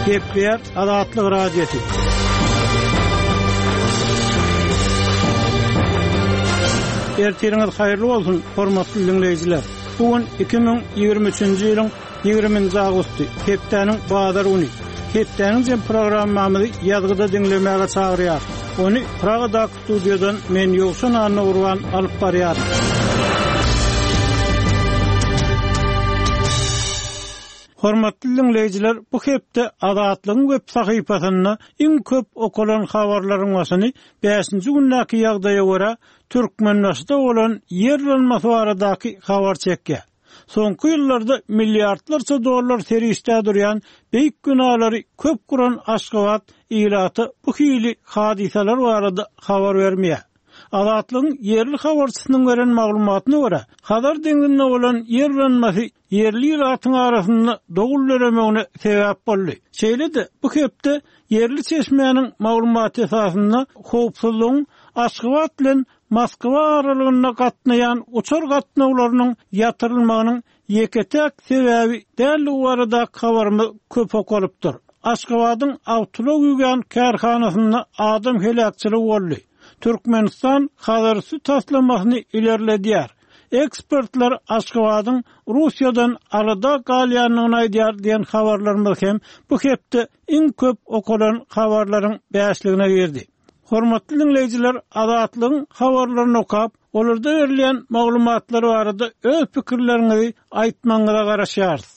Gepleýär Azatlyk Radiosy. Ertiriňiz haýyrly bolsun, hormatly diňleýjiler! Bu gün 2023-nji ýylyň 20-nji awgusty, hepdäniň bazar güni. Hepdäniň jem programmamyzy ýazgyda diňlemäge çagyrýar. Ony Pragadaky Studiýadan men Ýowşan Annagurban alyp barýaryn. Hormatly diňleýjiler, bu hepde Azatlygyň web sahypasynda iň köp okalan habarlaryň başyny bäşinji gündäki ýagdaýa görä, Türkmenbaşyda bolan ýer yrylmasy baradaky habar çekýär. Soňky ýyllarda milliardlarça dollar serişdä durýan beýik binalary köp guran Aşgabat ilata bu hili hadysalar barada habar bermeýär. Azatlygyň ýerli habarçysynyň beren maglumatyna görä, Hazar deňzinde bolan ýer yranmasy ýerli ilatyň arasynda dowul döremegine sebäp boldy. Şeýle-de, bu hepde ýerli çeşmäniň maglumaty esasynda howpsuzlygyň Aşgabat bilen Moskwa aralygynda gatnaýan uçar gatnawlarynyň ýatyrylmagynyň ýeke-täk sebäbi däldigi baradaky habarymyz köp okalypdyr. Aşgabadyň awtoulag ýuwýan kärhanasynda adam heläkçiligi boldy. Türkmenistan Hazarüsti taslamasyny ilerledýär. Ekspertler Aşgabadyň Russiýadan alada galýandygyny aýdýar diýen habarlarymyz hem bu hepde iň köp okalan habarlaryň bäşligine girdi. Hormatly diňleýjiler, Azatlygyň habarlaryny okap, olarda berilýän maglumatlar barada öz pikirleriňizi aýtmagyňyza garaşýarys.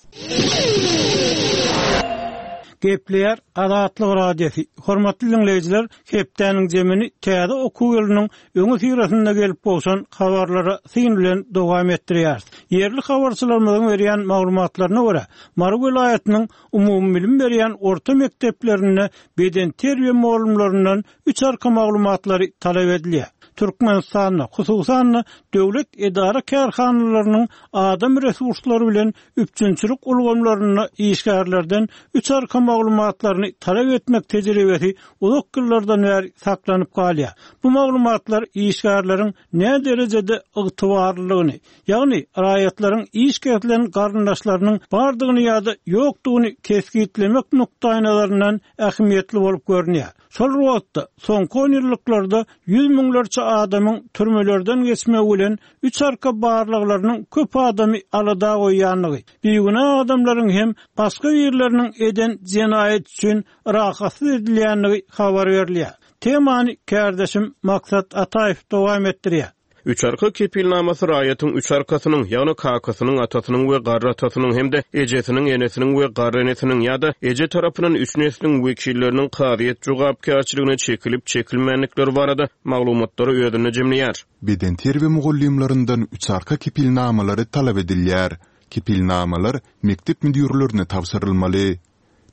Gepleýär Azatlyk Radiosy. Hormatly diňleýjiler, hepdäniň jemini täze okuw ýylynyň öňüsyrasynda gelip gowşan habarlara syn bilen dowam etdirýäris. Ýerli habarçylarymyzyň berýän maglumatlaryna görä, Mary welaýatynyň umumybilim berýän orta mekdeplerinde bedenterbiýe mugallymlaryndan üç arka maglumatlary talap edilýär. Türkmenistanda, hususan-da, döwlet edara-kärhanalarynyň adam resurslary bilen üpjünçilik ulgamlarynda işgärlerden üç arka maglumatlaryny talap etmek tejribesi uzak ýyllardan bäri saklanyp galýar. Bu maglumatlar işgärleriň näderejede ygtybarlylygyny, ýagny raýatlaryň iş kesilen garyndaşlarynyň bardygyny ýa-da ýokdugyny kesgitlemek nukdaýnazaryndan ähmiýetli bolup görünýär. Şol bir wagtda, soňky onýyllyklarda ýüz müňlerçe adamyň türmelerden geçmegi bilen üç arka barlaglarynyň köp adamy alada goýýandygy, bigünä adamlaryň hem başga birleriniň eden jenaýaty üçin rahatsyz edilýändigi habar berilýär. Temany kärdeşim Maksat Ataýew dowam etdirýär. Üç arka kepilnamasy raýatyň üç arkasynyň, ýagny kakasynyň, atasynyň we garry atasynyň hem-de ejesiniň, enesiniň we garry enesiniň ýa-da eje tarapyndan üç nesliň wekilleriniň kazyýet jogapkärçiligine çekilip-çekilmändikleri barada maglumatlary özünde jemleýär. Bedenterbiýe mugallymlaryndan üç arka kepilnamalary talap edilýär. Kepilnamalar mekdep müdirlerine tabşyrylmaly.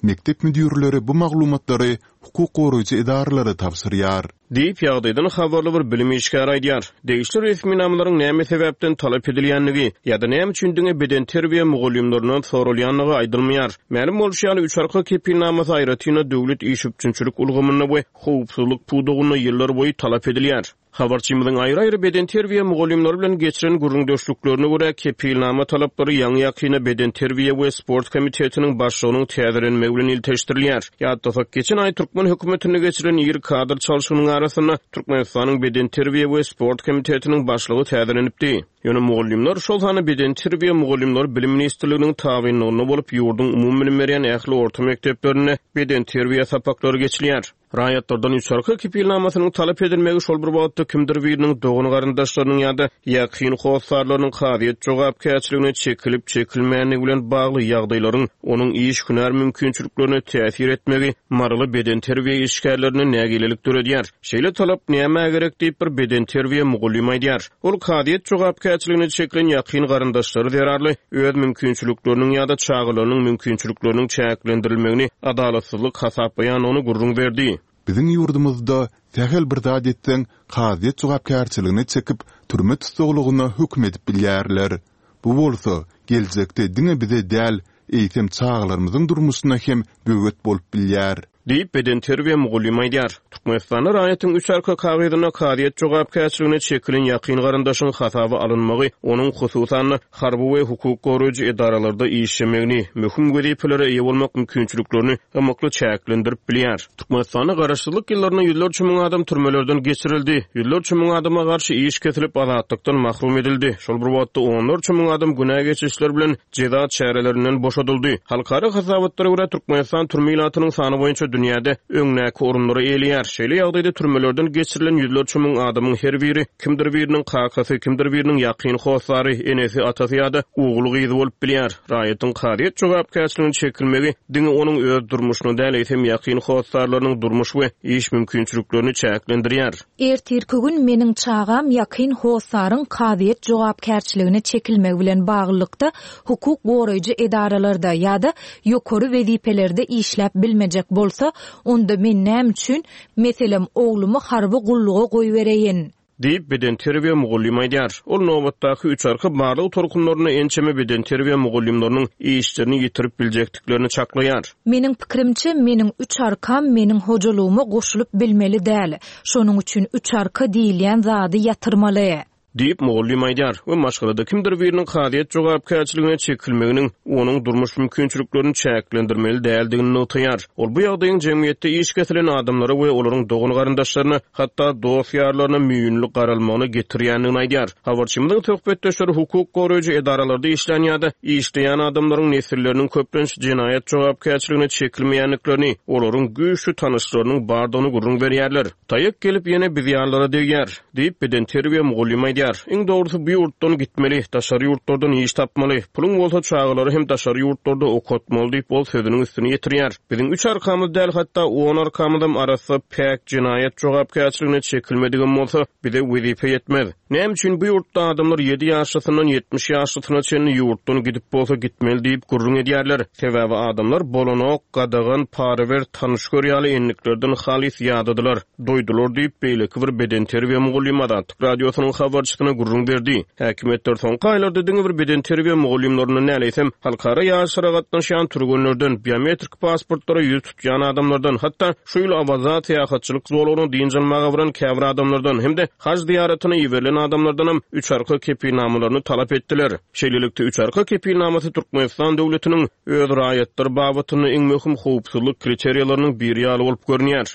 Mekdep müdirleri bu maglumatlary hukuk goraýjy edaralara tabşyrýar. Diýip, ýagdaýdan habarly bir bilim işgäri aýdýar. Degişli resminamalaryň näme sebäpden talap edilýändigi ýa-da näme üçin diňe bedenterbiýe mugallymlaryndan soralýandygy aýdylmaýar. Mälim bolşy ýaly, üç arka kepilnamasy aýratyn-da döwlet iş üpjünçilik ulgamynda we howpsuzlyk pudagynda ýyllarboýy talap edilýär. Habarçymyzyň aýry-aýry bedenterbiýe mugallymlary bilen geçiren gürrüňdeşliklerine görä, kepilnama talaplary ýaňy-ýakynda Bedenterbiýe we sport komitetiniň başlygynyň täzelenmegi bilen ilteşdirilýär. Ýatlasak, geçen aý türkmen hökümetinde geçirilen iri kadr çalşygynyň arasynda Türkmenistanyň Bedenterbiýe we sport komitetiniň başlygy täzelenipdi. Ýöne mugallymlar, şol sanda bedenterbiýe mugallymlary Bilim ministrliginiň tabynlygynda bolup, ýurduň umumybilim berýän ähli orta mekdeplerinde bedenterbiýe sapaklary geçilýär. Raýatlardan üç arka kepilnamasynyň talap edilmegi şol bir wagtda kimdir biriniň dogan-garyndaşlarynyň ýa-da ýakyn hossarlarynyň kazyýet jogapkärçiligine çekilip-çekilmändigi bilen bagly ýagdaýlaryň onuň iş-hünär mümkinçiliklerine täsir etmegi maryly bedenterbiýe işgärlerinde nägilelik döredýär. Şeýle talap nämä gerek diýip, bir bedenterbiýe mugallymy aýdýar. Ol kazyýet jogapkärçiligine çekilen ýakyn garyndaşlary zerarly öz mümkinçilikleriniň ýa-da çagalarynyň mümkinçilikleriniň çäklendirilmegini adalatsyzlyk hasaplaýandygyny gürrüň berdi. Biziň ýurdumyzda sähel bir zat etseň, kazyýet jogapkärçiligine çekip, türme tussaglygyna höküm edip bilýärler. Bu bolsa, geljekde diňe bize däl, eýsem çagalarymyzyň durmuşyna hem böwet bolup bilýär. Diýip, bedenterbiýe mugallymy aýdýar. Türkmenistanda raýatyň üç arka kagyzynda kazyýet jogapkärçiligine çekilen ýakyn garyndaşyň hasaba alynmagy onuň, hususan-da, harby we hukuk goraýjy edaralarda işlemegini, möhüm wezipelere eýe bolmak mümkinçiliklerini ymykly çäklendirip bilýär. Türkmenistanda garaşsyzlyk ýyllarynda ýüzlerçe müň adam türmelerden geçirildi, ýüzlerçe müň adama garşy iş kesilip, azatlykdan mahrum edildi. Şol bir wagtda, onlarça müň adam günä geçişler bilen jeza çärelerinden boşadyldy. Halkara hasabatlara görä, Türkmenistan türme ilatynyň sany boýunça dünýäde öňdäki orunlary eýeleýär. Şeýle ýagdaýda türmelerden geçirilen ýüzlerçe müň adamyň her biri kimdir biriniň kakasy, kimdir biriniň ýakyn hossary, enesi, atasy ýa-da ogly-gyzy bolup bilýär. Raýatyň kazyýet jogapkärçiligine çekilmegi diňe onuň öz durmuşyny däl, eýsem ýakyn hossarlarynyň durmuş we iş mümkinçiliklerini çäklendirýär. Ertirki gün meniň çagam ýakyn hossaryň kazyýet jogapkärçiligine çekilmegi bilen baglylykda hukuk goraýjy edaralarda ýa-da ýokary wezipelerde işläp bilmejek bolsa, onda men näme üçin, meselem, oglumy harby gulluga goýbereýin? Diýip, bedenterbiýe mugallymy aýdýar. Ol nobatdaky üç arka barlag tolkunlarynda ençeme bedenterbiýe mugallymlarynyň işlerini ýitirip biljekdiklerini çaklaýar. Meniň pikirimçe, meniň üç arkam meniň hojalygyma goşulyp bilmeli däl. Şonuň üçin üç arka diýilýän zady ýatyrmaly. Diýip, mugallym aýdýar we maşgalada kimdir biriniň kazyýet jogapkärçiligine çekilmeginiň onuň durmuş mümkinçiliklerini çäklendirmeli däldigini nygtaýar. Ol bu ýagdaýyň jemgyýetde iş kesilen adamlara we olaryň dogan-garyndaşlaryna, hatda dost-ýarlaryna müýnli garalmagyna getirýändigini aýdýar. Habarçymyzyň söhbetdeşleri hukuk goraýjy edaralarda işlän ýa-da işleýän adamlaryň nesilleriniň köplenç jenaýat jogapkärçiligine çekilmeýändiklerini, olaryň güýçli tanyşlarynyň bardygyny gürrüň berýärler. Taýak gelip ýene biz ýalylara degýär. Diýip, bedenterbiýe mugallymy aýdýar. Iň dogrusy bu ýurtdan gitmeli, daşary ýurtlardan iş tapmaly, puluň bolsa çagalary hem daşary ýurtlarda okatmaly diýip, ol sözüniň üstüni ýetirýär. Biziň üç arkamyz däl, hatda on arkamyzam arassa, päk, jenaýat jogapkärçiligine çekilmedigem bolsa, bize wezipe ýetmez. Näme üçin bu ýurtda adamlar ýedi ýaşlysyndan 70 ýaşlysyna çenli ýurtdan gidip bolsa gitmeli diýip gürrüň edýärler. Sebäbi adamlar bolanok, gadagan, para ber, tanyş gör ýaly endiklerden halys ýadadylar, doýdular diýip, beýleki bir bedenterbiýe mugallymy Azatlyk Radiosynyň habarçysyna gürrüň berdi. Häkimiýetler soňky aýlarda diňe bir bedenterbiýe mugallymlaryndan däl, eýsem, halkara ýaryşlara gatnaşýan türgenlerden, biometrik pasportlara ýüz tutýan adamlardan, hatda şu ýyl Awaza syýahatçylyk zolagyna dynç almaga baran käbir adamlardan hem-de haj zyýaratyna iberilen adamlardanam üç arka kepilnamalaryny talap etdiler. Şeýlelikde, üç arka kepilnamasy Türkmenistan döwletiniň öz raýatlary babatynda iň möhüm howpsuzlyk kriteriýalarynyň biri ýaly bolup görünýär.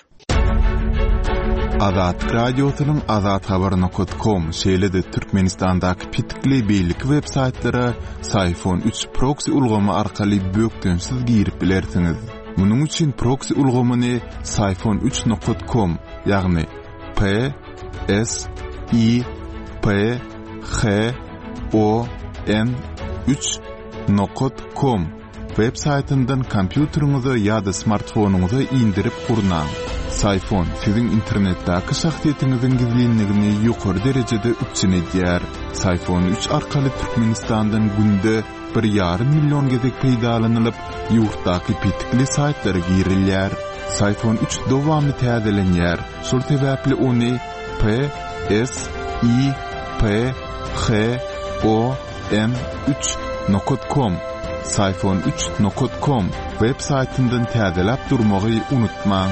Azatlyk Radiosynyň Azathabar nokat kom, şeýle-de Türkmenistandaky petikli beýleki web saýtlara Syfon üç proksi ulgamy arkaly bökdençsiz girip bilersiňiz. Munuň üçin proksi ulgamyny Syfon üç nokat kom, ýagny P S I P H O N üç nokat kom Web saýtyndan kompýuteriňize ýa-da smartfonyňyza indirip gurnaň. Syfon siziň internetdäki şahsyýetiňiziň gizlinligini ýokary derejede üpjün edýär. Syfon üç arkaly Türkmenistandan günde bir ýarym million gezek peýdalanylyp, ýurtdaky petikli saýtlara girilýär. Syfon üç dowamly täzelenýär, şol sebäpli ony P S I P H O M üç nokat kom Syfon üç nokat kom web saýtyndan täzeläp durmagy unutmaň.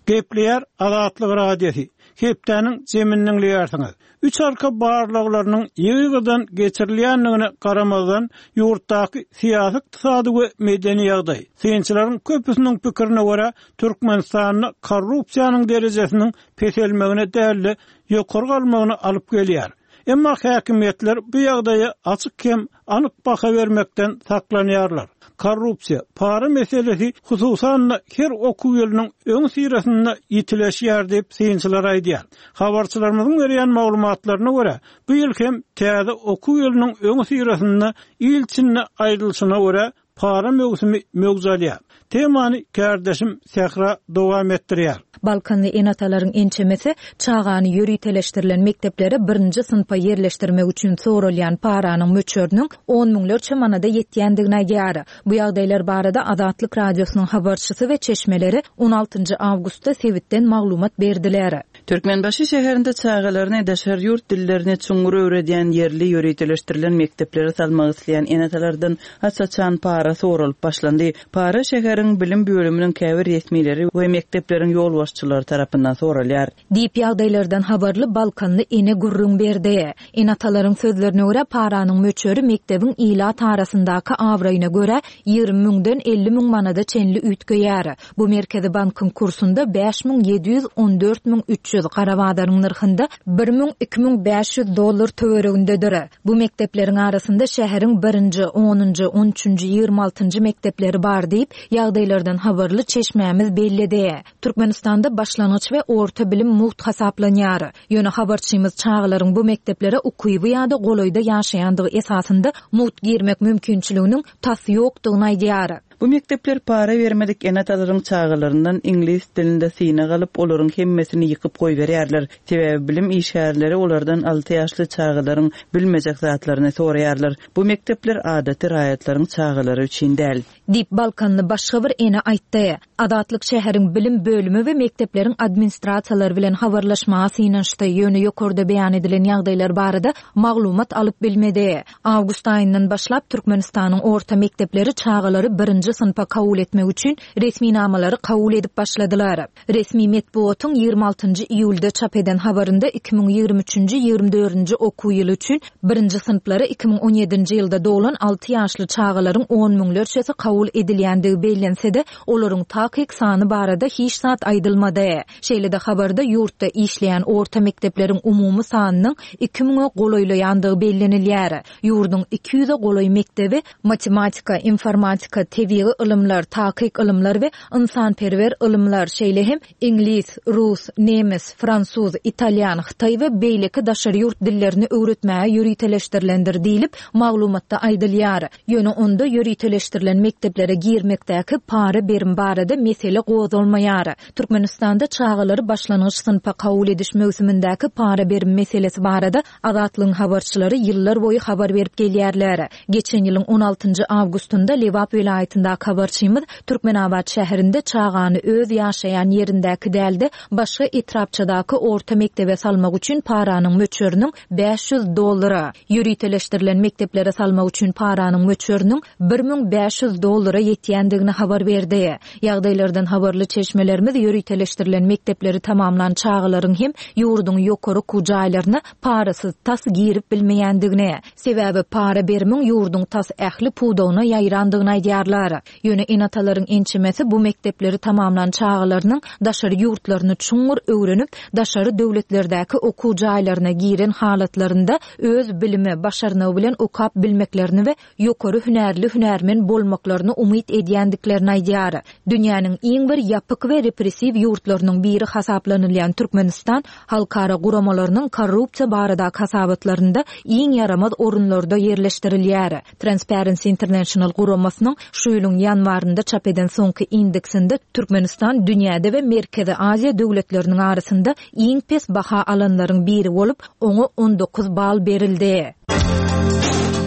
Gepleýär Azatlyk Radiosy, Hepdäniň jemini diňleýärsiňiz. Üç arka barlaglarynyň ýygy-ýygydan geçirilýändigine garamazdan, ýurtdaky syýasy-ykdysady we medeni ýagdaý, synçylaryň köpüsiniň pikirine görä, Türkmenistanda korrupsiýanyň derejesiniň peselmegine däl-de, ýokary galmagyna alyp gelýär. Emma häkimiýetler bu ýagdaýa açyk hem anyk baha bermekden saklanýarlar. Korrupsiýa, para meselesi hususan-da her okuw ýylynyň öňüsyrasynda ýitileşýär diýip, synçylar aýdýar. Habarçylarymyzyň berýän maglumatlaryna görä, bu ýyl hem täze okuw ýylynyň öňüsyrasynda il içinde aýdylyşyna görä, Para möwsümi möwç alýar. Temany kärdeşim Sähra dowam etdirýär. Balkanly ene-atalaryň ençemesi çagany ýöriteleşdirilen mekdeplere birinji synpa ýerleşdirmek üçin soralýan paranyň möçberiniň on müňlerçe manada ýetýändigini aýdýar. Bu ýagdaýlar barada Azatlyk Radiosynyň habarçysy we çeşmeleri on altynjy awgustda sebitden maglumat berdiler. Türkmenbaşy şäherinde çagalaryny daşary ýurt dillerini çuňňur öwredýän ýerli ýöriteleşdirilen mekdeplere salmak isleýän ene-atalardan aç-açan para soralyp başlandy. Para şäheriň bilim bölüminiň käbir resmileri we mekdepleriň ýolbaşçylary tarapyndan soralýar. Diýip, ýagdaýlardan habarly balkanly ene gürrüň berdi. Ene-atalaryň sözlerine görä, paranyň möçberi mekdebiň ilat arasyndaky abraýyna görä 20 müňden 50 müň manada çenli üýtgeýär. Bu Merkezi bankyň kursunda 5714 300, gara bazaryň nyrhynda 1000, 2500 dollar töweregindedir. Bu mekdepleriň arasynda şäheriň birinji, onunjy, on üçünji, 20 altynjy mekdepleri bar diýip, ýagdaýlardan habarly çeşmämiz belledi. Türkmenistanda başlangyç we orta bilim mugt hasaplanýar. Ýöne habarçymyz çagalaryň bu mekdeplere ukyby ýa-da golaýda ýaşaýandygy esasynda mugt girmek mümkinçiliginiň tas ýokdugyny aýdýar. Bu mekdepler para bermedik ene-atalaryň çagalaryndan iňlis dilinde synag alyp, olaryň hemmesini ýykyp goýberýärler. Sebäbi bilim işgärleri olardan alty ýaşly çagalaryň bilmejek zatlaryny soraýarlar. Bu mekdepler adaty raýatlaryň çagalary üçin däl. Diýip, balkanly başga bir ene aýtdy. Azatlyk şäheriň bilim bölümi we mekdepleriň administrasiýalary bilen habarlaşmaga synanyşdy, ýöne ýokarda beýan edilen ýagdaýlar barada maglumat alyp bilmedi. Awgust aýyndan başlap Türkmenistanyň orta mekdepleri çagalary birinji synpa kabul etmek üçin resminamalary kabul edip başladylar. Resmi metbugatyň 26 nji iýulda çap eden habarynda 2023-nji, 24-nji okuw ýyly üçin birinji synplara 2017-nji ýylda doglan alty ýaşly çagalaryň on müňlerçesi kabul edilýändigi bellense-de, olaryň takyk sany barada hiç zat aýdylmady. Şeýle-de habarda ýurtda işleýän orta mekdepleriň umumy sanynyň iki müňe golaýlaýandygy bellenilýär. Ýurduň 200-e golaý mekdebi matematika, informatika, tebigy ylymlar, takyk ylymlar we ynsanperwer ylymlar, şeýle hem iňlis, rus, nemes, fransuz, italýan, hytaý we beýleki daşary ýurt dillerini öwretmäge ýöriteleşdirilendir diýlip, maglumatda aýdylýar. Ýöne onda ýöriteleşdirilen mekdeplere girmekdäki para-berim barada mesele gozgalmaýar. Türkmenistanda çagalary başlangyç synpa kabul ediş möwsümindäki para-berim meselesi barada Azatlygyň habarçylary ýyllar boýy habar berip gelýärler. Geçen ýylyň on altynjy awgustynda Lebap welaýatyndaky habarçymyz Türkmenabat şäherinde çagany öz ýaşaýan ýerindäki däl-de, başga etrapçadaky orta mekdebe salmak üçin paranyň möçberiniň 500 dollara, ýöriteleşdirilen mekdeplere salmak üçin paranyň möçberiniň 1500 dollara ýetýändigini habar berdi. Ýagdaýlardan habarly çeşmelerimiz ýöriteleşdirilen mekdepleri tamamlan çagalaryň hem ýurduň ýokary okuw jaýlaryna parasyz tas girip bilmeýändigini, sebäbi para berimiň ýurduň tas ähli pudagyna ýaýrandygyny aýdýarlar. Ýöne ene-atalaryň ençemesi bu mekdepleri tamamlan çagalarynyň daşary ýurtlaryny çuňňur öwrenip, daşary döwletlerdäki okuw jaýlaryna giren halatlarynda öz bilimi, başarnygy bilen okap bilmeklerini we ýokary hünärli hünärmen bolmaklaryny umyt edýändiklerini aýdýar. Dünýäniň iň bir ýapyk we repressiw ýurtlarynyň biri hasaplanylýan Türkmenistan halkara guramalarynyň korrupsiýa baradaky hasabatlarynda iň ýaramaz orunlarda ýerleşdirilýär. Transparency International guramasynyň şu ýylyň ýanwarynda çap eden soňky indeksinde Türkmenistan dünýäde we Merkezi Aziýa döwletleriniň arasynda iň pes baha alanlaryň biri bolup, oňa 19 bal berildi.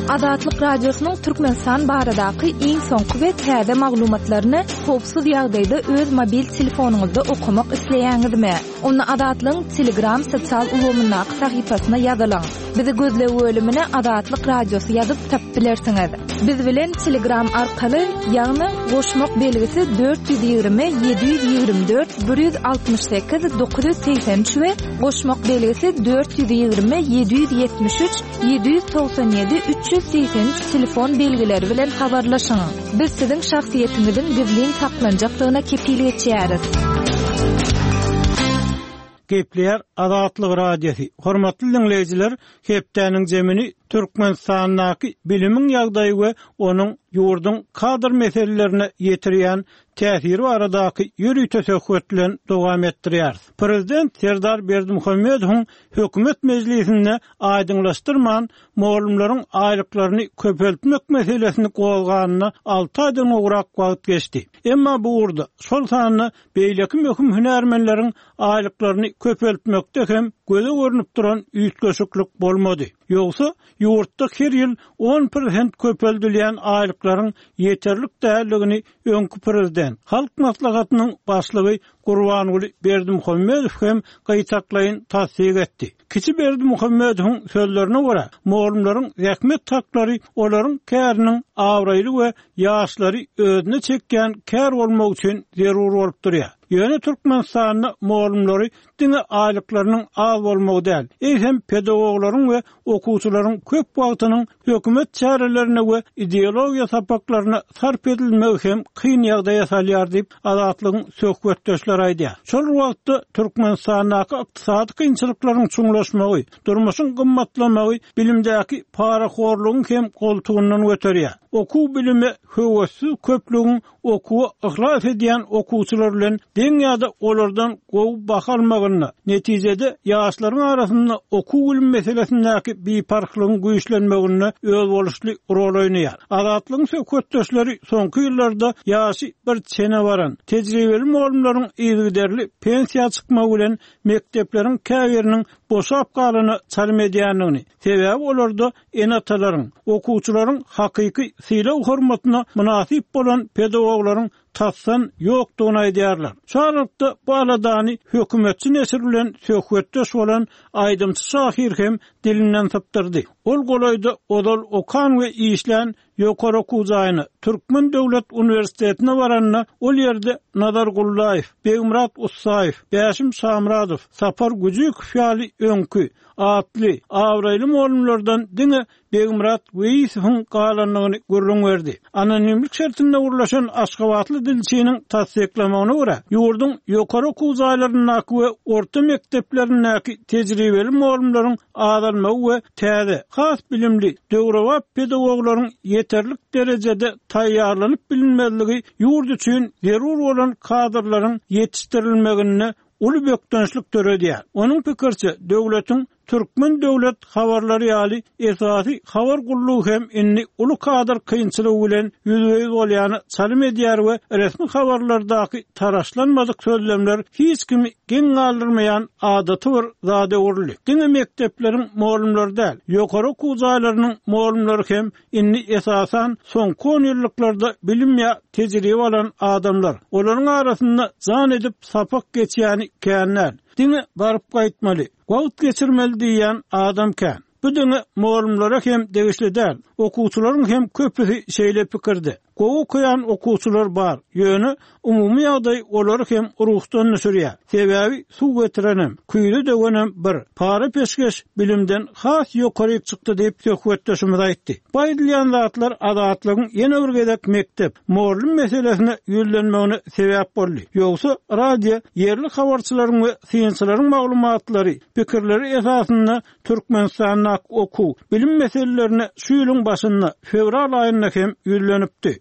Azatlyk Radiosynyň Türkmenistan baradaky iň soňky we täze maglumatlaryny howpsuz ýagdaýda öz mobil telefonyňyzda okamak isleýäňizmi? Onda Azatlygyň Telegram sosial ulgamyndaky sahypasyna ýazylyň. Bizi gözleg bölümine Azatlyk Radiosy ýazyp tapyp bilersiňiz. Biz bilen Telegram arkaly, ýagny goşmak belgisi 420 724 168 983 we goşmak belgisi 420 773 797 383 telefon belgileri bilen habarlaşyň. Biz siziň şahsyýetiňiziň gizlin saklanjakdygyna kepil geçýäris. Gepleýär Azatlyk Radiosy. Hormatly diňleýjiler, hepdäniň jemini Türkmenistandaky bilimiň ýagdaýy we onuň ýurduň kadr meselelerine ýetirýän täsiri baradaky ýörite söhbet bilen dowam etdirýäris. Prezident Serdar Berdimuhamedowyň hökümet mejlisinde aýdyňlaşdyrman, mugallymlaryň aýlyklaryny köpeltmek meselesini gozganyna alty aýdan gowrak wagt geçdi. Emma bu ugurda, şol sanda beýleki möhüm hünärmenleriň aýlyklaryny köpeltmekde hem göze görnüp duran üýtgeşiklik bolmady. Ýogsa, ýurtda her ýyl on prosent köpeldilýän aýlyklaryň ýeterlik däldigini öňki prezident, Halk Maslahatynyň başlygy Gurbanguly Berdimuhamedow hem gytaklaýyn tassyk etdi. Kiçi Berdimuhamedowyň sözlerine görä, mugallymlaryň zähmet haklary olaryň käriniň abraýly we ýaşlary özüne çekýän kär bolmagy üçin zerur bolup durýar. Ýöne Türkmenistanda mugallymlary diňe aýlyklarynyň az bolmagy däl, eýsem pedagoglaryň we okuwçylaryň köp wagtynyň hökümet çärelerine we ideologiýa sapaklaryna sarp edilmegi hem kyn ýagdaýa salýar diýip, Azatlygyň söhbetdeşleri aýdýar. Şol bir wagtda, Türkmenistandaky ykdysady kynçylyklaryň çuňlaşmagy, durmuşyň gymmatlamagy bilimdäki parahorlugyň hem goltugyndan göterýär. Okuw-bilime höwessiz köplügiň okuwa yhlas edýän okuwçylar bilen deň ýa-da olardan gowy baha almagynda, netijede, ýaşlaryň arasynda okuw-bilim meselesindäki biparhlygyň güýçlenmeginde özboluşly rol oýnaýar. Azatlygyň söhbetdeşleri soňky ýyllarda ýaşy bir çene baran, tejribeli mugallymlaryň yzygiderli pensiýa çykmagy bilen mekdepleriň käbiriniň boşap galana çalym edýändigini, sebäbi olarda ene-atalaryň, okuwçylaryň hakyky sylag-hormatyna mynasyp bolan pedagoglaryň tasdan ýokdugyny aýdýarlar. Şu aralykda bu aladany hökümetçi neşir bilen söhbetdeş bolan aýdymçy-şahyr hem dilinden sypdyrdy. Ol golaýda ozal okan we işlän ýokary okuw jaýyna, Türkmen döwlet uniwersitetine baranda, ol ýerde Nazar Gullaýew, Begmyrat Ussaýew, Bäşim Şamyradow, Sapar Güjükow ýaly öňki, atly, abraýly mugallymlardan diňe Begmyrat Weýisowyň galandygyny gürrüň berdi. Anonimlik şertinde gürleşen aşgabatly dilçiniň tassyklamagyna görä, ýurduň ýokary okuw jaýlaryndaky we orta mekdeplerindäki tejribeli mugallymlaryň azalmagy we täze, has bilimli, döwrebap pedagoglaryň ýeterlik derejede taýýarlanyp bilinmezligi ýurt üçin zerur bolan kadrlaryň ýetişdirilmeginde uly bökdençlik döredýär. Onuň pikiriçe, döwletiň Türkmen döwlet habarlary ýaly esasy habar gullugy hem indi uly kadr kynçylygy bilen ýüzbe-ýüz bolýana çalym edýär we resmi habarlardaky taraşlanmadyk sözlemler hiç kimi geň galdyrmaýan adaty bir zada öwrüldi. Diňe mekdepleriň mugallymlary däl, ýokary okuw jaýlarynyň mugallymlary hem indi esasan soňky onýyllyklarda bilim ýa tejribe alan adamlar. Olaryň arasynda jan edip sapak geçýäni kän däl. Diňe baryp gaýtmaly, wagt geçirmeli diýýän adam kän. Bu diňe mugallymlara hem degişli däl, okuwçylaryň hem köpüsi şeýle pikirde. Gowy okaýan okuwçylar bar, ýöne umumy ýagdaý olary hem ruhdan düşürýär. Sebäbi suw getirenem, küýze döwenem bir, para-peşgeş bilimden has ýokaryk çykdy diýip, söhbetdeşimiz aýtdy. Bu aýdylýan zatlar Azatlygyň ýene bir gezek mekdep, mugallym meselesine ýüzlenmegine sebäp boldy. Ýogsa, radio ýerli habarçylaryň we synçylaryň maglumatlary, pikirleri esasynda Türkmenistandaky okuw, bilim meselelerine şu ýylyň başynda, fewral aýynda hem ýüzlenipdi.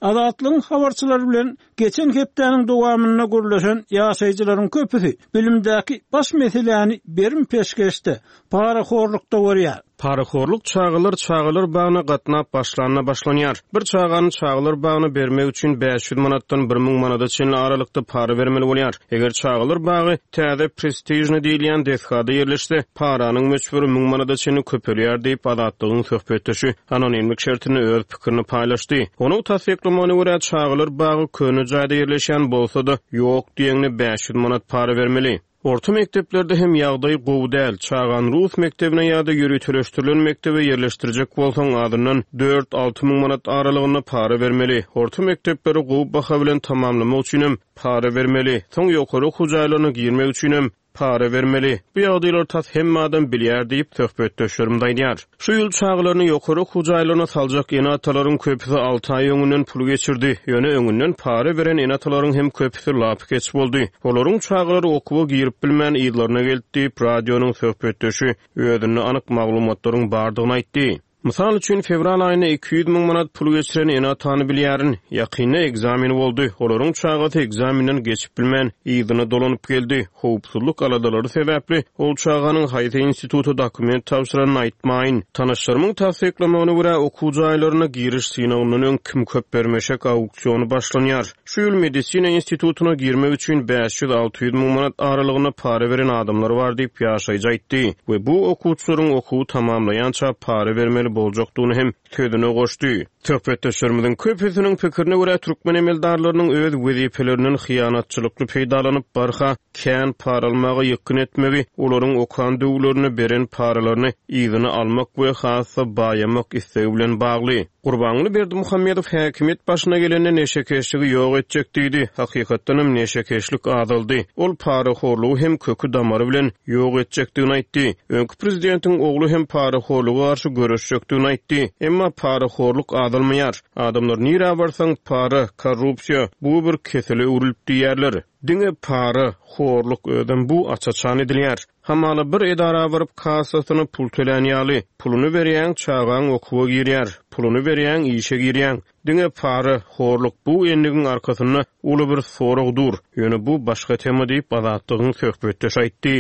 Azatlygyň habarçylary bilen geçen hepdäniň dowamynda gürleşen ýaşaýjylaryň köpüsi bilimdäki baş meseläni berim-peşgeşde, parahorlukda görýär. Parahorluk çagalar çagalar bagyna gatnap başlanda başlanýar. Bir çagany çagalar bagyna bermek üçin 500 manatdan 1000 manada çenli aralykda para bermeli bolýar. Eger çagalar bagy täze prestižnyý diýilýän desgada ýerleşse, paranyň möçberi 1000 manada çenli köpelýär diýip, Azatlygyň söhbetdeşi anonimlik şertinde öz pikirini paýlaşdy. Onuň tassyklamagyna görä, çagalar bagy köne jaýda ýerleşýän bolsa-da, ýok diýeňde 500 manat para bermeli. Orta mekdeplerde hem ýagdaý gowy däl. Çagany rus mekdebine ýa-da ýöriteleşdirilen mekdebe ýerleşdirjek bolsaň, azyndan dört-alty müň manat aralygynda para bermeli. Orta mekdepleri gowy baha bilen tamamlamak üçinem para bermeli. Soň ýokary okuw jaýlaryna girmek üçinem para bermeli. Bu ýagdaýlary tas hemme adam bilýär diýip, söhbetdeşlerimiz aýdýar. Şu ýyl çagalaryny ýokary okuw jaýlaryna saljak ene-atalaryň köpüsi alty aý öňünden pul geçirdi. Ýöne öňünden para beren ene-atalaryň hem köpüsi lapykeç boldy. Olaryň çagalary okuwa girip bilmän yzlaryna geldi diýip, radionyň söhbetdeşi özünde anyk maglumatlaryň bardygyny aýtdy. Mysal üçin, fewral aýynda 200 müň manat pul geçiren ene-atany bilýärin. Ýakynda ekzamen boldy. Olaryň çagasy ekzamenden geçip bilmän, yzyna dolanyp geldi. Howpsuzlyk aladalary sebäpli, ol çaganyň haýsy instituta dokument tabşyranyny aýtmaýyn. Tanyşlarymyň tassyklamagyna görä, okuw jaýlaryna giriş synagyndan öň kim köp bermeşek auksiony başlanýar. Şu ýyl medisina institutyna girmek üçin 500-600 müň manat aralygynda para beren adamlar bar diýip, ýaşaýjy aýtdy we bu okuwçylaryň okuwy tamamlaýança para bermeli boljakdygyny hem sözüne goşdy. Söhbetdeşlerimiziň köpüsiniň pikirine görä, türkmen emeldarlarynyň öz wezipelerinden hyýanatçylykly peýdalanyp, barha kän para almaga ýykgyn etmegi olaryň okan döwürlerinde beren paralaryny yzyna almak we has-da baýamak islegi bilen bagly. Gurbanguly Berdimuhamedow häkimiýet başyna gelende neşekeşligi ýok etjek diýdi. Hakykatdanam neşekeşlik azaldy. Ol parahorlugy hem köki-damary bilen ýok etjekdigini aýtdy. Öňki prezidentiň ogly hem parahorluga garşy göreşjekdigini aýtdy. Emma parahorluk azalmaýar. Adamlar nirä barsaň para, korrupsiýa, bu bir kesele öwrülip diýýärler. Diňe para, horluk özem bu aç-açan edilýär. Hamala bir edara baryp kassasyna pul tölän ýaly. Puluny berýäň, çagaň okuwa girýär. Puluny berýäň, işe girýäň. Diňe para, horluk bu endigiň arkasynda uly bir sorag dur. Ýöne bu başga tema diýip, Azatlygyň söhbetdeşi aýtdy.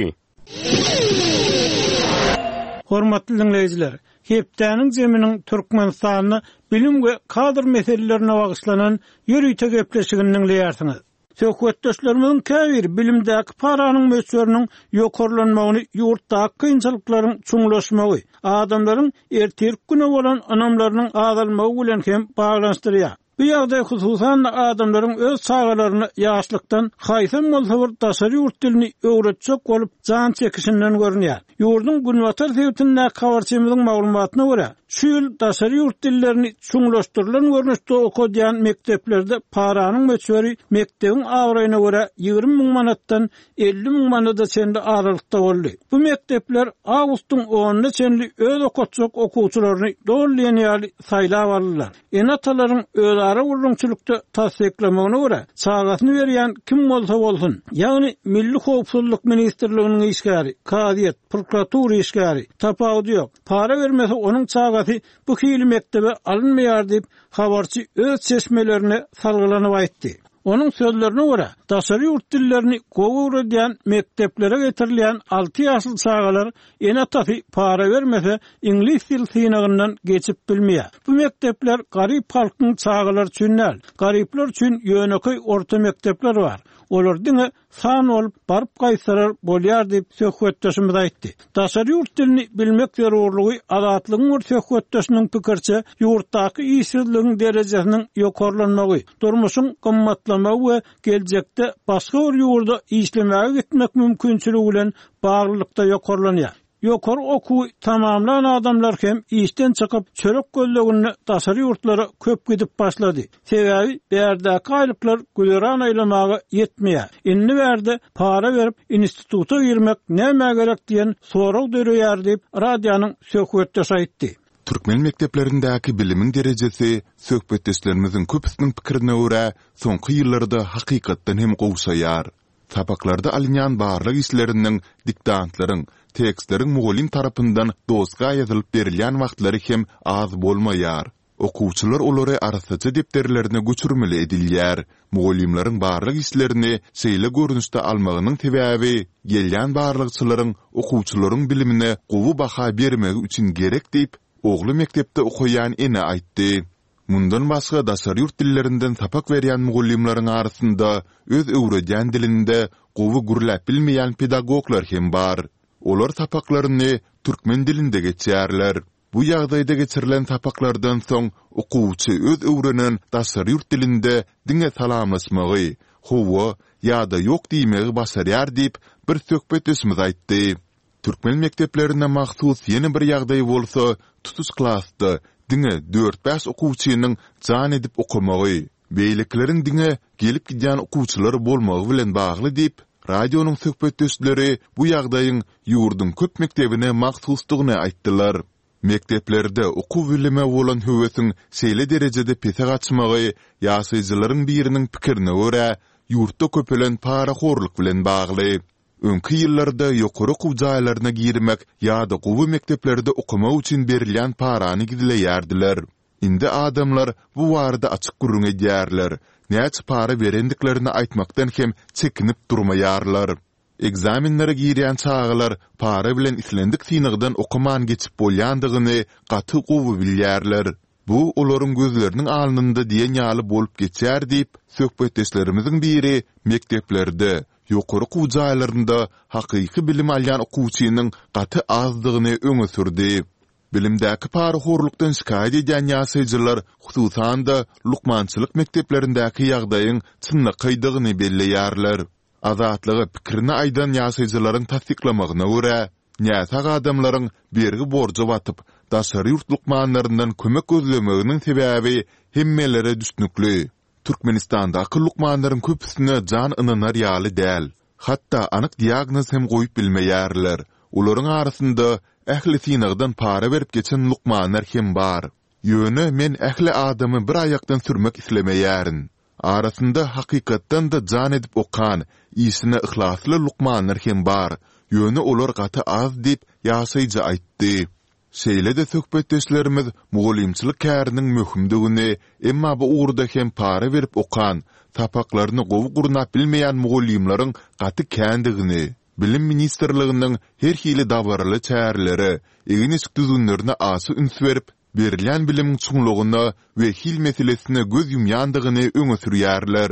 Hormatly diňleýjiler, hepdäniň jeminiň Türkmenistanda bilim we kadr meselelerine bagyşlanan ýörite gepleşigini diňleýärsiňiz. Söhbetdeşlerimiziň käbiri bilimdäki paranyň möçberiniň ýokarlanmagyny ýurtdaky kynçylyklaryň çuňlaşmagy, adamlaryň ertirki güne bolan ynamlarynyň azalmagy bilen hem baglanyşdyrýar. Bu ýagdaý hususan-da adamlaryň öz çagalaryna ýaşlykdan haýsam bolsa bir daşary ýurt dilini öwretjek bolup jan çekişinden görünýär. Ýurduň günbatar sebitindäki habarçymyzyň maglumatyna görä, şu ýyl daşary ýurt dillerini çuňlaşdyrylan görnüşde okadýan mekdeplerde paranyň möçberi mekdebiň abraýyna görä 20 müň manatdan 50 müň manada çenli aralykda boldy. Bu mekdepler awgustyň onuna çenli öz okatjak okuwçylaryny doly diýen ýaly saýlap aldylar. Ene-atalaryň özara gürrüňçilikde tassyklamagyna görä, çagasyny berýän kim bolsa bolsun, ýagny Milli howpsuzlyk ministrliginiň işgäri, kazyýet, prokuratura işgäri, tapawudy ýok, para bermese onuň çagasy bu hili mekdebe alynmaýar diýip, habarçy öz çeşmelerine salgylanyp aýtdy. Onuň sözlerine görä, daşary ýurt dillerini gowy öwredýän mekdeplere getirilýän alty ýaşly çagalar ene-atasy para bermese, iňlis dil synagyndan geçip bilmeýär. Bu mekdepler garyp halkyň çagalary üçin däl. Garyplar üçin ýönekeý orta mekdepler bar. Olar diňe san bolup, baryp gaýtsalar bolýar diýip, söhbetdeşimiz aýtdy. Daşary ýurt dilini bilmek zerurlygy Azatlygyň bir söhbetdeşiniň pikiriçe, ýurtdaky işsizligiň derejesiniň ýokarlanmagy, durmuşyň gymmatlamagy we geljekde başga bir ýurda işlemäge gitmek mümkinçiligi bilen baglylykda ýokarlanýar. Ýokary okuwy tamamlan adamlar hem işden çykyp, çörek gözleginde daşary ýurtlara köp gidip başlady. Sebäbi bärdäki aýlyklar güzeran aýlamaga ýetmeýär. Indi bärde para berip instituta girmek nämä gerek diýen sorag döreýär diýip, radionyň söhbetdeşi aýtdy. Türkmen mekdeplerindäki bilimiň derejesi, söhbetdeşlerimiziň köpüsiniň pikirine görä, soňky ýyllarda hakykatdan hem gowşaýar. Sapaklarda alynýan barlag işleriniň, diktantlaryň, tekstleriň mugallym tarapyndan doska ýazylyp berilýän wagtlary hem az bolmaýar. Okuwçylar olary arassaja depderlerine göçürmeli edilýär. Mugallymlaryň barlag işlerini şeýle görnüşde almagynyň sebäbi, gelýän barlagçylaryň okuwçylaryň bilimine gowy baha bermegi üçin gerek diýip, ogly mekdepde okaýan ene aýtdy. Mundan başga daşary ýurt dillerinden sapak berýän mugallymlaryň arasynda öz öwredýän dilinde gowy gürläp bilmeýän pedagoglar hem bar. Olar sapaklaryny türkmen dilinde geçýärler. Bu ýagdaýda geçirilen sapaklardan soň okuwçy öz öwrenen daşary ýurt dilinde diňe salamlaşmagy, hawa ýa-da ýok diýmegi başarýar diýip, bir söhbetdeşimiz aýtdy. Türkmen mekdeplerine mahsus ýene bir ýagdaý bolsa, tutuş klasda diňe dört-bäş okuwçynyň jan edip okamagy, beýlekileriň diňe gelip-gidýän okuwçylar bolmagy bilen bagly diýip, radionyň söhbetdeşleri bu ýagdaýyň ýurduň köp mekdebine mahsusdygyny aýtdylar. Mekdeplerde okuw-bilime bolan höwesiň şeýle derejede pese gaçmagy, ýaşaýjylaryň biriniň pikirine görä, ýurtda köpelen parahorluk bilen bagly. Öňki ýyllarda ýokary okuw jaýlaryna girmek ýa-da gowy mekdeplerde okamak üçin berilýän parany gizleýärdiler. Indi adamlar bu barada açyk gürrüň edýärler, näçe para berendiklerini aýtmakdan hem çekinip durmaýarlar. Ekzamenlere girýän çagalar para bilen islendik synagdan okaman geçip bolýandygyny gaty gowy bilýärler. Bu olaryň gözleriniň alnynda diýen ýaly bolup geçýär diýip, söhbetdeşlerimiziň biri mekdeplerde, ýokary okuw jaýlarynda hakyky bilim alýan okuwçynyň gaty azdygyny öňe sürdi. Bilimdäki parahorlukdan şikaýat edýän ýaşaýjylar, hususan-da, lukmançylyk mekdeplerindäki ýagdaýyň çynlakaýdygyny belleýärler. Azatlyga pikirini aýdan ýaşaýjylaryň tassyklamagyna görä, näsag adamlaryň bergi-borja batyp, daşary ýurt lukmanlaryndan kömek gözlemeginiň sebäbi hemmelere düşnükli. Türkmenistandaky lukmanlaryň köpüsine jan ynanar ýaly däl. Hatda anyk diagnoz hem goýup bilmeýärler. Olaryň arasynda ähli synagdan para berip geçen lukmanlar hem bar. Ýöne men ähli adamy bir aýakdan sürmek islemeýärin. Arasynda hakykatdan-da jan edip okan, işine yhlasly lukmanlar hem bar, ýöne olar gaty az diýip, ýaşaýjy aýtdy. Şeýle-de söhbetdeşlerimiz mugallymçylyk käriniň möhümdigini, emma bu ugurda hem para berip okan, sapaklaryny gowy gurnap bilmeýän mugallymlaryň gaty kändigini, Bilim ministrliginiň her hili dabaraly çärelere, egin-eşik düzgünlerine aşa üns berip, berilýän bilimiň çuňlugyna we hil meselesine göz ýumýandygyny öňe sürýärler.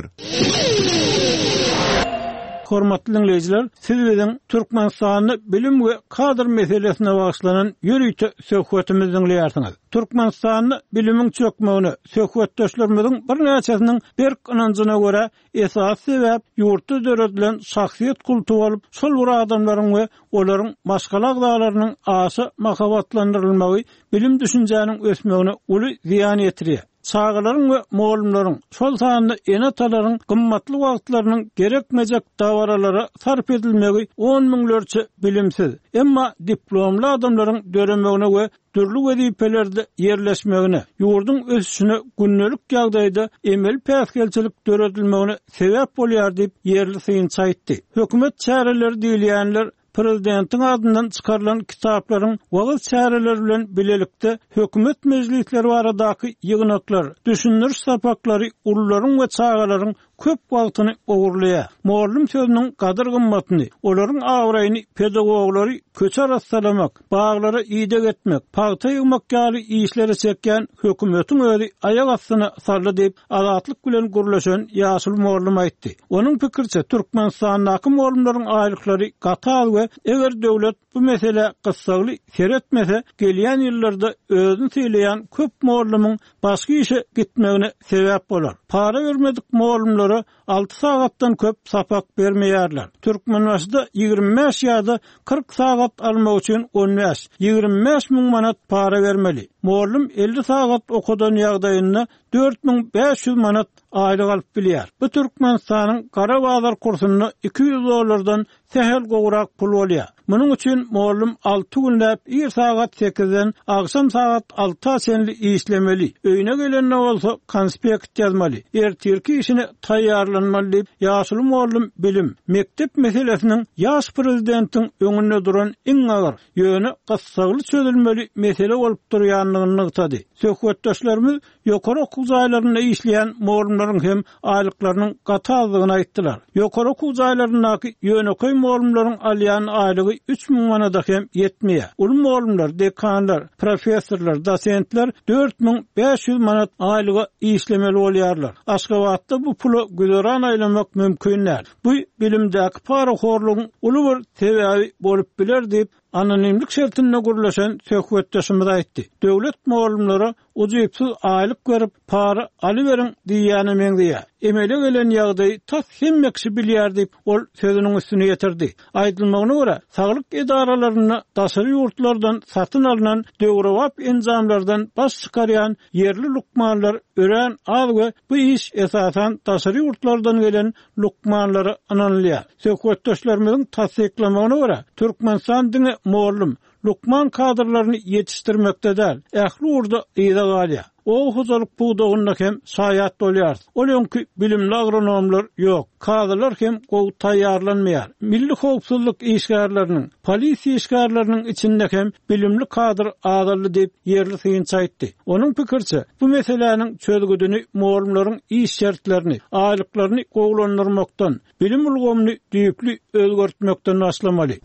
Hormatly diňleýjiler, siz biziň Türkmenistanda bilim we kadr meselesine bagyşlanan ýörite söhbetimizi diňleýärsiňiz. Türkmenistanda bilimiň çökmegine söhbetdeşlerimiziň birnäçesiniň berk ynanjyna görä Esasy sebäp ýurtda döredilen şahsyýet kulty bolup, şol bir adamlaryň we olaryň maşgala agzalarynyň aşa mahabatlandyrylmagy bilim-düşünjäniň ösmegine uly zyýan ýetirýär. Çagalaryň we mugallymlaryň, şol sanda ene-atalaryň gymmatly wagtlarynyň gerekmejek dabaralara sarp edilmegi on müňlerçe bilimsiz, emma diplomly adamlaryň döremegine we dürli wezipelerde ýerleşmegine, ýurduň ösüşine gündelik ýagdaýda emeli päsgelçilik döredilmegine sebäp bolýar diýip, ýerli synçy aýtdy. Hökümet çäreleri diýilýänler prezidentiň adyndan çykarylan kitaplaryň wagyz çäreleri bilen bilelikde hökümet mejlisleri baradaky ýygnaklar, düşündiriş sapaklary ulularyň we çagalaryň köp wagtyny ogurlaýar. Mugallym sözüniň gadyr-gymmatyny, olaryň abraýyny pedagoglary köçe arassalamak, baglara ideg etmek, pagta ýygmak ýaly işlere çekýän hökümetiň özi aýak astyna saldy diýip, Azatlyk bilen gürleşen ýaşuly mugallym aýtdy. Onuň pikiriçe, Türkmenistandaky mugallymlaryň aýlyklary gaty az we eger döwlet bu meselä gyssagly seretmese, gelýän ýyllarda özüni sylaýan köp mugallymyň başga işe gitmegine sebäp bolar. Para bermedik mugallymlara alty sagatdan köp sapak bermeýärler. Türkmenbaşyda 25 ýa-da 40 sagat almak üçin on bäş, 25 müň manat para bermeli. Mugallym 50 sagat okadan ýagdaýynda 4500 manat aýlyk alyp bilýär. Bu Türkmenistanyň gara bazar kursunda 200 dollardan sähel gowrak pul bolýar. Munuň üçin mugallym alty günläp ir sagat sekizden agşam sagat alta çenli işlemeli, öýüne gelende bolsa konspekt ýazmaly, ertirki işine taýýarlanmaly diýip, ýaşuly mugallym bilim, mekdep meselesiniň ýaş prezidentiň öňünde duran iň agyr, ýöne gyssagly çözülmeli mesele bolup durýandygyny nygtady. Söhbetdeşlerimiz Ýokary okuw jaýlarynda işleýän mugallymlaryň hem aýlyklarynyň gaty azdygyny aýtdylar. Ýokary okuw jaýlaryndaky ýönekeý mugallymlaryň alýan aýlygy 3000 manada hem ýetmeýär. Uly mugallymlar, dekanlar, professorlar, dosentler 4500 manat aýlyga işlemeli bolýarlar. Aşgabatda bu pula güzeran aýlamak mümkin däl. Bu bilimdäki parahorlugyň uly bir sebäbi bolup biler diýip, anonimlik şertinde gürleşen söhbetdeşimiz aýtdy. Döwlet mugallymlara ujypsyz aýlyk berip, para alyberiň diýýäne meňzeýär. Emele gelen ýagdaýy tas hemme kişi bilýär diýip, ol sözüniň üstüni ýetirdi. Aýdylmagyna görä, saglyk edaralarynda daşary ýurtlardan satyn alnan döwrebap enjamlardan baş çykarýan ýerli lukmanlar örän az we bu iş esasan daşary ýurtlardan gelen lukmanlara ynanylýar. Söhbetdeşlerimiziň tassyklamagyna görä, Türkmenistan diňe mugallym, Lukman kadrlaryny ýetişdirmekde däl, ähli ugurda yza galýar. Oba hojalyk pudagynda hem şaýat bolýarys. Ol öňki bilimli agronomlar ýok. Kazylar hem gowy taýýarlanmaýar. Milli howpsuzlyk işgärleriniň, polisiýa işgärleriniň içinde hem bilimli kadr azaldy diýip, ýerli synçy aýtdy. Onuň pikiriçe, bu meseläniň çözgüdini mugallymlaryň iş şertlerini, aýlyklaryny gowulandyrmakdan, bilim ulgamyny düýpli özgertmekden başlamaly.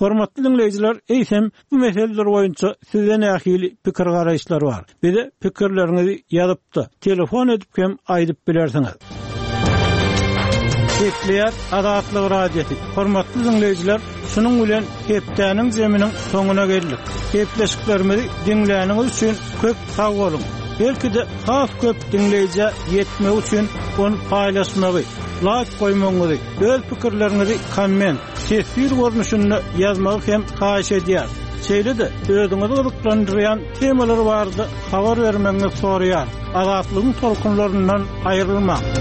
Hormatly diňleýjiler, eýsem, bu meseleler boýunça sizde nähili pikir-garaýyşlar bar? Bize pikirleriňizi ýazyp-da, telefon edip hem aýdyp bilersiňiz. Gepleýär Azatlyk Radiosy. Hormatly diňleýjiler, şunuň bilen hepdäniň zeminiň soňuna geldik. Gepleşiklerimizi diňläniňiz üçin köp sag boluň! Belki-de has köp diňleýjä ýetmegi üçin ony paýlaşmagy, laýk goýmagyňyzy, öz pikirleriňizi komment, teswir görnüşinde ýazmagy hem haýyş edýäris. Şeýle-de özüňizi gyzyklandyrýan temalar barada habar bermegiňizi soraýarys. Azatlygyň tolkunlaryndan aýrylmaň!